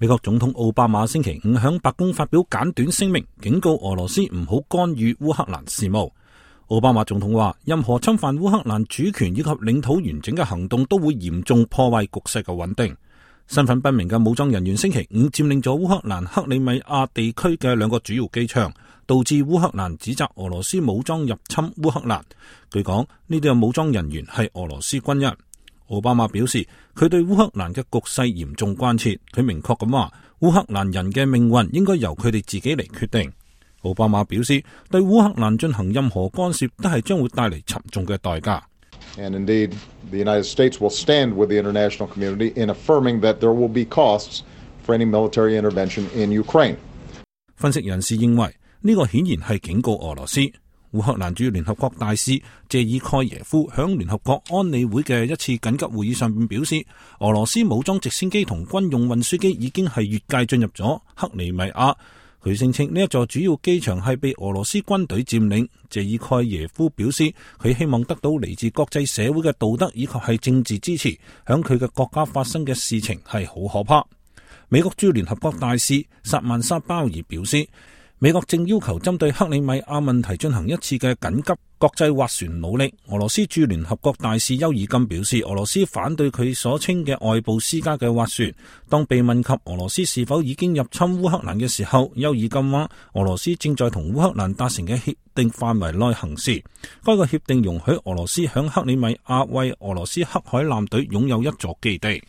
美國總統奧巴馬星期五響白宮發表簡短聲明，警告俄羅斯唔好干預烏克蘭事務。奧巴馬總統話，任何侵犯烏克蘭主權以及領土完整嘅行動都會嚴重破壞局勢嘅穩定。身份不明嘅武裝人員星期五佔領咗烏克蘭克里米亞地區嘅兩個主要機場，導致烏克蘭指責俄羅斯武裝入侵烏克蘭。據講，呢啲嘅武裝人員係俄羅斯軍人。奧巴馬表示，佢對烏克蘭嘅局勢嚴重關切。佢明確咁話，烏克蘭人嘅命運應該由佢哋自己嚟決定。奧巴馬表示，對烏克蘭進行任何干涉都係將會帶嚟沉重嘅代價。And indeed, the United States will stand with the international community in affirming that there will be costs for any military intervention in Ukraine. 分析人士認為，呢個顯然係警告俄羅斯。烏克蘭駐聯合國大使謝爾蓋耶夫響聯合國安理會嘅一次緊急會議上面表示，俄羅斯武裝直升機同軍用運輸機已經係越界進入咗克里米亞。佢聲稱呢一座主要機場係被俄羅斯軍隊佔領。謝爾蓋耶夫表示，佢希望得到嚟自國際社會嘅道德以及係政治支持。響佢嘅國家發生嘅事情係好可怕。美國駐聯合國大使薩曼莎鮑爾表示，美國正要求針對克里米亞問題進行一次嘅緊急國際斡旋努力。俄羅斯駐聯合國大使丘爾金表示，俄羅斯反對佢所稱嘅外部施加嘅斡旋。當被問及俄羅斯是否已經入侵烏克蘭嘅時候，丘爾金話，俄羅斯正在同烏克蘭達成嘅協定範圍內行事。該個協定容許俄羅斯響克里米亞為俄羅斯黑海艦隊擁有一座基地。